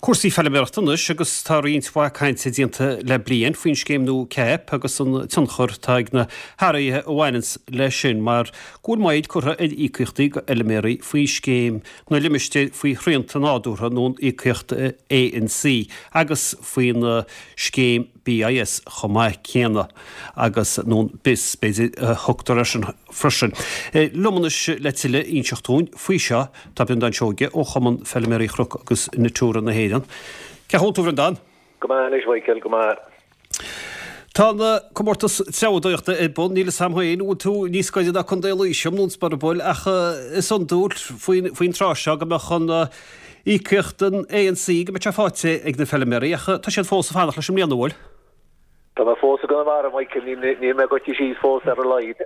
Cúrsaí feilméarachta anois agus tá roinnt mhaith cainte déanta le bliain faoin scéim nua CAP agus an tionchar atá ag na hathruithe a bhaineanns leis sin mar go bhfuil moill curtha ar íocaíochtaí go fheilméaraí faoi scéim na limistéir faoi shrianta nádúrtha nó an íocaíocht ANC agus faoin scéim BIS chomh maith céanna agus nó an bis, b'fhéidir, a thugtar air sin freisin. Liom anois le tuilleadh a inseacht dúinn faoi seo tá Breandán Seoige ó Chumann Feilméaraí Chnoc agus Natura na hÉireann. Cén chaoi a bhfuil tú, a Bhreandáin? Go maith anois, Mhichael, go maith. Tá an comórtas treabhdóireachta ar bun, níl 'fhios a'm féin an bhfuil tú níos gaire ná Contae Laoise nó an Sporobole ach is iondúil faoin tráth seo go mbeadh an íocaíocht an ANC go mbeadh sé faighte ag na feilméaraí ach tá siad fós ag fanacht leis i mbliana, an bhfuil? Tá mé fós i gConamara, Michael, níl mé goite síos fós ar a laghad.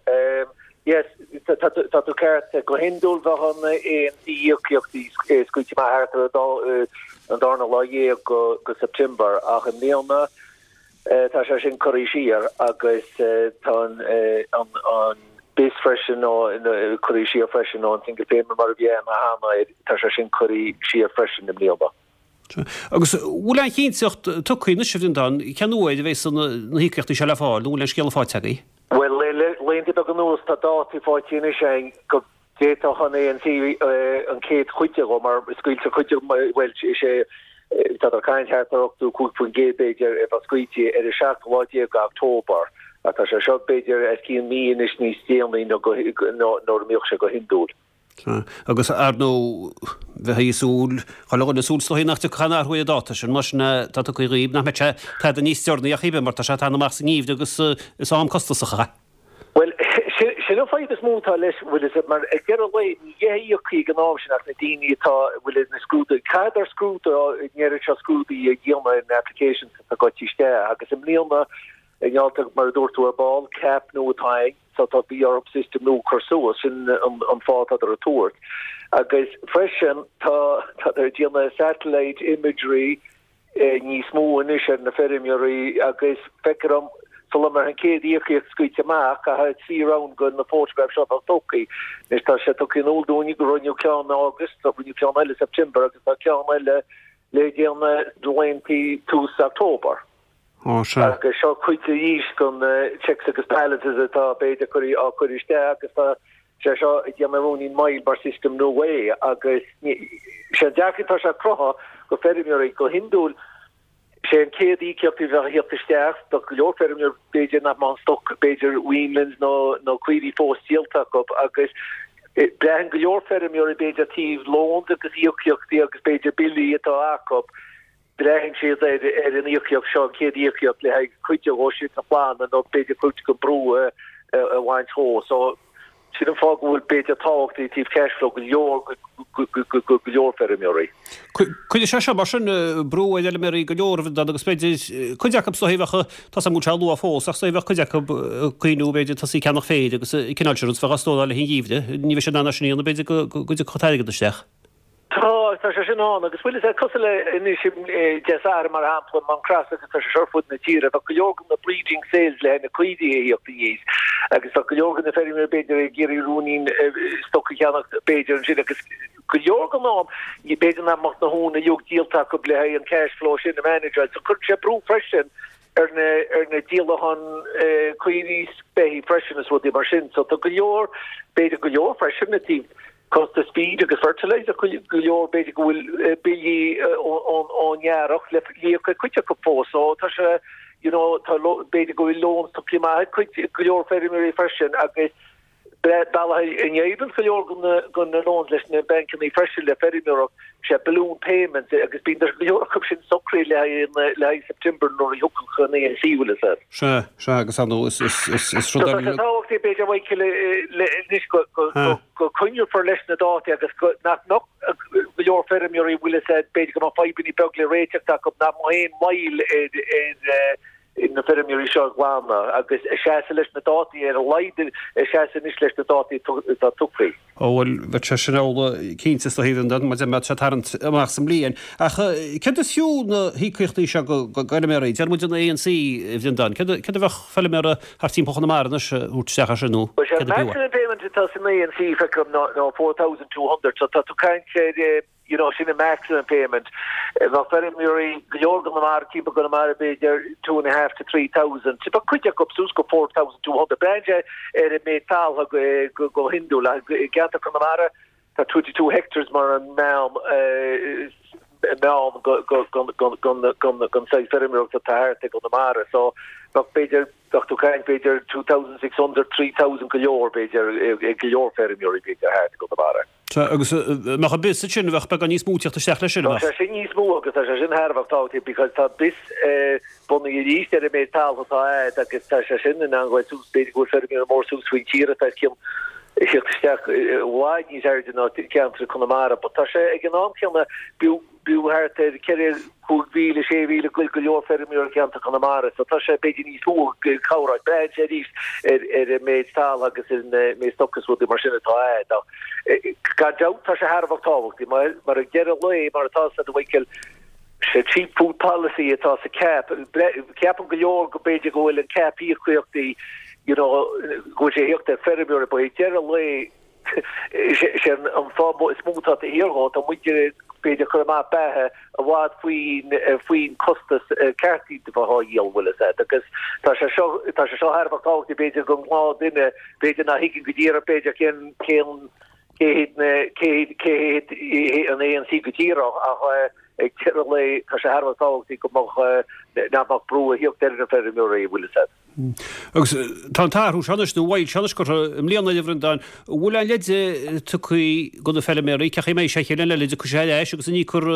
Yes, tá tú ceart, go hiondúil bheadh an ANC íocaíochtaí scaoilte amach thart ar an darna lá dhéag go September ach i mbliana Tá sé sin curtha siar agus tá an bis freisin curtha siar freisin, nó an single payment mar a bhí ann cheana, tá sé sin curtha siar freisin i mbliana. Agus an bhfuil aon chinnteacht tugtha anois, a Bhreandáin, cén uair a bheas na híocaíochtaí seo le fáil, nó an bhfuil aon scéala faighte agaibh? Bhuel, le laethanta beaga anuas tá dátaí faighte anois againn go D'fhéadfadh an ANC an chéad chuid de mar scaoiltear cuid de, bhuel, is é, táthar ag caint thart ar 85% b'fhéidir a bheith scaoilte ar an seachtú lá déag d'October ach tá sé seo b'fhéidir os cionn mí anois níos déanaí ná nuair a mbíodh sé go hiondúil. Agus ar ndóigh, bheifí ag súil, chuile dhuine ag súil is dóigh nach dtiocfadh aon athrú ar an dáta sin, mar sin tá tugtha dhaoibh, nach mbeadh sé tada níos deireanaí ach oiread mar tá sé ag teannadh amach sa ngeimhreadh agus is am costasach é. Bhuel, sin an fadhb is mó atá leis, bhfuil fhios agat, mar ag deireadh an lae, ní bheidh íoctha ag an am sin ach na daoine atá, bhfuil na scrúduithe, caithfidh scrúdú, an oiread seo scrúduithe a dhéanamh ar na applications atá goite isteach agus i mbliana, i ngeall, mar a dúirt tú ar ball, cap nua atá ann, so tá, bhí orthu system nua a chur suas, sin an fáth atá ag tabhairt. Agus freisin, tá, tádar ag déanamh satellite imagery, níos mó anois ar na feirmeoirí agus feictear dom sula mbeidh an chéad íocaíocht scaoilte amach, caithfidh 3 round de na photographs seo a bheith tugtha. Anois tá sé tugtha in iúl dúinn go rinneadh ceann in August, rinneadh ceann eile i September agus tá ceann eile le déanamh laethanta tús October. Ó sea. Agus seo cuid arís den checks agus balances atá b'fhéidir á cur isteach agus tá sé seo ag déanamh ruainnín moill mar system nua é agus sé an dearcadh atá sé cruthaithe go feirmeoirí go hiondúil sé an chéad íocaíocht a bheadh ag theacht isteach do go leor feirmeoir b'fhéidir nach mbeadh an stoc b'fhéidir weanlings nó nó caoirigh fós díolta acu agus braitheann go leor feirmeoirí b'fhéidir taobh loans agus íocaíochtaí agus b'fhéidir billí atá acu Braitheann siad ar an íocaíocht seo, an chéad íocaíocht, le haghaidh cuid de dhó sin a ghlanadh nó b'fhéidir cuid den brú a bhaint dhó. So, sin an fáth go bhfuil b'fhéidir tábhacht i dtaobh cash flow go leor go leor feirmeoirí. Cuirfidh sé seo mar sin brú ar fheilméaraí go leor a Bhreandáin agus b'fhéidir cuid acu is dóichí bheadh, tá 's agam go bhfuil sé luath fós ach is dóichí bheadh cuid acu ag cuimhniú b'fhéidir tosaí ag ceannach féir agus an cineál sin rud is bheadh á stóráil le haghaidh an gheimhridh, ní bheidh siad in ann é sin a dhéanamh b'fhéidir go dtiocfadh an t-airgead isteach. Tá, tá sé sin ann agus bhfuil fhios a'd, cosúil le anois Dé Sathairn mar shampla, i Maigh Crosa agus tá sé seo ar fud na tíre, bheadh go leor de na breeding sales le haghaidh na caoirigh a thíocht aníos agus bheadh go leor de na feirmeoirí b'fhéidir ag iarraidh ruainnín stoc a cheannacht b'fhéidir ansin agus go leor den am b'fhéidir nach mbeadh na huain uilig díolta acu le haghaidh an cash flow sin a manageáil. So cuireann sé brú freisin ar na ar na díolacháin caoirigh is beithígh freisin is rudaí mar sin. So tá go leor, b'fhéidir go leor freisin i dtaobh Costas feed agus fertilizer go leor, b'fhéidir go bhfuil billí ón earrach le híoc ag cuid acu fós. So tá sé, you know, tá b'fhéidir go bhfuil loans tugtha amach ag cuid go leor feirmeoirí freisin agus bealach a n-éiríonn go leor de na loans leis na bancanna freisin le feirmeoireacht, sé balloon payments agus bíonn go leor acu sin socraithe le haghaidh le haghaidh September nuair a thiocfadh an ANC bhfuil fhios a'd. Sea, sea agus ar ndóigh is is is is rud So tá sé tábhachtach b'fhéidir Michael le anois go go go coinneofar leis na dátaí agus go nach mbeadh go leor feirmeoirí bhfuil fhios a'd b'fhéidir go mbeadh fadhbanna beag le réiteacht acu nach mbeadh aon mhoill ar ar na feirmeoirí seo a ghlanadh agus seasamh leis na dátaí ar a laghad seasamh anois leis na dátaí atá tugtha. Ó bhuel, bheadh sé sin amhlaidh cinnte is dóigh Bhreandáin, mar mbeadh sé ag tarraingt amach sa mbliain. Ach céard is fiú na híocaíochtaí seo go bhfeilméaraí? Deir muid an ANC, a Bhreandáin. Céard a bheadh feilméara thart timpeall Chonamara anois a thabhairt isteach as sin nó Bhuel, sé an maximum payment atá san ANC feicim ná 4,200 so tá tú ag caint ar. you know, sin an maximum payment. Bheadh feirmeoirí go leor i gConamara, timpeall Conamara b'fhéidir 2.5 to 3,000, bheadh cuid acu suas go 4,200. Braitheann sé ar an méid taltha go go hiondúil. I gceantar Conamara tá 22 hectares mar an meán meán go go go go go gon saghas feirmeoireachta atá thart i gConamara. So bheadh b'fhéidir bheadh tú ag caint b'fhéidir 2,600, 3,000 go leor b'fhéidir ag go leor feirmeoirí b'fhéidir thart i gConamara. Sea, agus mbeadh an bis ansin, bheadh beagán níos mó ag teacht isteach leis sin, an mbeadh? Tá sé sin níos mó agus tá sé sin thar a bheith tábhachtach because tá bis bunaithe arís ar an méid taltha atá a'd agus tá sé sin in ann goil suas, b'fhéidir go bhfuil feirmeoirí mór suas faoin tír atá os cionn ag teacht isteach i bhfad níos airde ná ceantar Conamara but tá sé ag an am céanna b'fhiú B'fhiú thart ar 4, 5,000, 6,000 ag goil go leor feirmeoirí i gceantar Chonamara so tá sé b'fhéidir níos mó cabhrach. Braitheann sé arís ar ar an méid taltha agus ar an méid stoc is rudaí mar sin atá a'd ach gan dabht tá sé thar a bheith tábhachtach mar mar ag deireadh lae mar atá a Mhichael sé cheap food policy atá sa CAP. Ceapann go leor go b'fhéidir go bhfuil an CAP íocaíochtaí you know go bhfuil sé ag theacht ar feirmeoirí but ag deireadh lae Is é an fáth is mó atá taobh thiar dhó, tá muid b'fhéidir ag cur amach beatha i bhfad faoin faoin costas ceart iad a bheith á dhíol, bhfuil fhios a'd. Agus tá sé seo tá sé seo thar a bheith tábhachtach b'fhéidir don ghnáth-duine, b'fhéidir ná thuigeann go díreach b'fhéidir cén cén cé hiad na cé hiad cé hiad an ANC go díreach ach ag deireadh lae tá sé thar a bheith tábhachtach go mbeadh nach mbeadh brú a thíocht ar na feirmeoirí, bhfuil fhios a'd. Agus tá an t-athrú seo anois, nó an mhoill seo anois curtha i mbliana a Bhreandáin, an bhfuil aon leid tugtha do na feilméaraí, cén chaoi a mbeidh sé an chéad bhliain eile, an dtiocfaidh sé ar ais agus an íocfar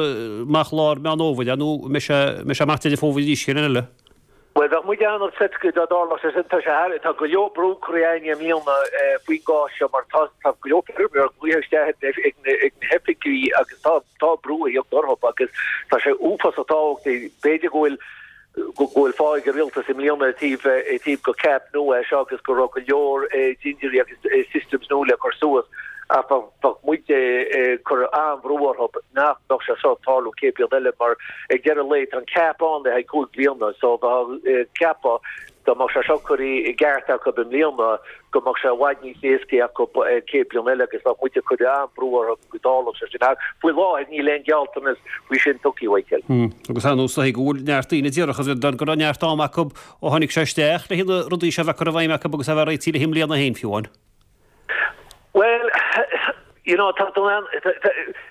amach lár Meán Fhómhair é nó an mbeidh sé, mbeidh sé amach Deireadh Fómhair arís an chéad bhliain eile? Bhuel, bheadh muid an-upset dá dtarlódh sé sin. Tá sé thar, tá go leor brú curtha orainn i mbliana faoin gcás seo mar tá, tá go leor feirmeoirí glaoithe isteach ag na, ag na hoifigí agus tá, tá brú ag theacht orthu agus tá sé uafásach tábhachtach. B'fhéidir go bhfuil, go bhfuil fáth ag an rialtas i mbliana i dtaobh i dtaobh go CAP nua é seo agus go raibh go leor dintiúirí agus systems nua le cur suas ach bheadh muid ag cur an-bhrú orthu nach mbeadh sé seo ag tarlú an chéad bhliain eile mar ag deireadh lae tá an CAP ann le haghaidh 5 bliana so bheadh ceapadh dá mbeadh sé seo curtha i gceart acu i mbliana go mbeadh sé i bhfad níos éascaí acu an chéad bhliain eile agus bheadh muid ag cur an-bhrú orthu go dtarlódh sé sin. Ach faoi láthair níl aon ghealltanas faoi sin tugtha, a Mhichael. Agus ar nós go bhfuil neart daoine a déarfadh, a Bhreandáin, go raibh neart ama acu ó tháinig sé isteach le na rudaí seo a bheith curtha i bhfeidhm acu agus a bheith réitithe le haghaidh i mbliana féin fiú amháin. Bhuel, you know, tá nuair a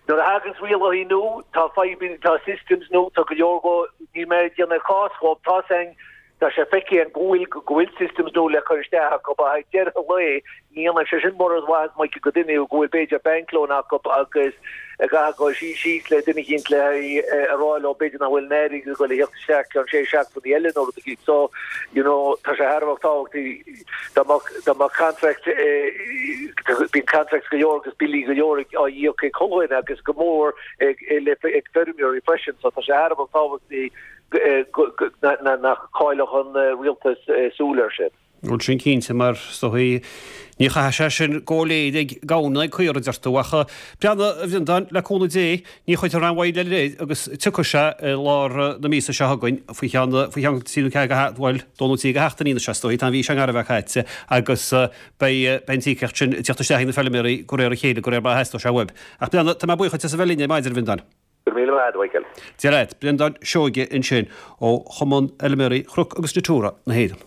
thaganns rialacha nua, tá fadhbanna, tá systems nua, tá go leor go, níl mé ag déanamh cás dhóibh, tá san, Tá sé feicthe againn go bhfuil go bhfuil systems nua le cur isteach acu ach ag deireadh an lae ní dhéanann sé sin mórán maitheas Michael go duine go bhfuil b'fhéidir bank loan acu agus a gcaithfidh dul suí síos le duine eicínt le a rá leo b'fhéidir nach bhfuil an airgead ag dul a theacht isteach ceann sé seachtainí eile nó rud eicínt. So, you know, tá sé thar a bheith tábhachtach dá mbeadh dá mbeadh contract bíonn contracts go leor agus billí go leor á íoc ag chuile dhuine agus go mór ag ag feirmeoirí freisin so tá sé thar a bheith tábhachtach nach gcaillfeadh an rialtas súil air sin. Bhuel, sin cinnte, mar is dóigh ní chaithfidh sé sin go léir ag gamhain ná ag caora, a deir tú. Ach breathnaigh, a Bhreandáin, le cúnamh Dé, ní chuirfear aon mhoill eile air agus tiocfaidh sé i lár na míosa seo chugainn, faoi cheann, faoi cheann trí nó ceathair de, bhuel, dó nó trí de sheachtainí anois, is dóigh, tá an mhí seo i ngar a bheith caite agus beidh, beidh an t-íocaíocht sin ag teacht isteach ag na feilméaraí de réir a chéile, de réir mar a theastóidh sé uaib. Ach breathnaigh, tá mé buíoch duit as a bheith linn ar maidin, a Bhreandáin. Go raibh míle maith agat, a Mhichael. Dia leat. Breandán Seoige ansin ó Chumann Fheilméaraí Chnoc agus Natura na hÉireann.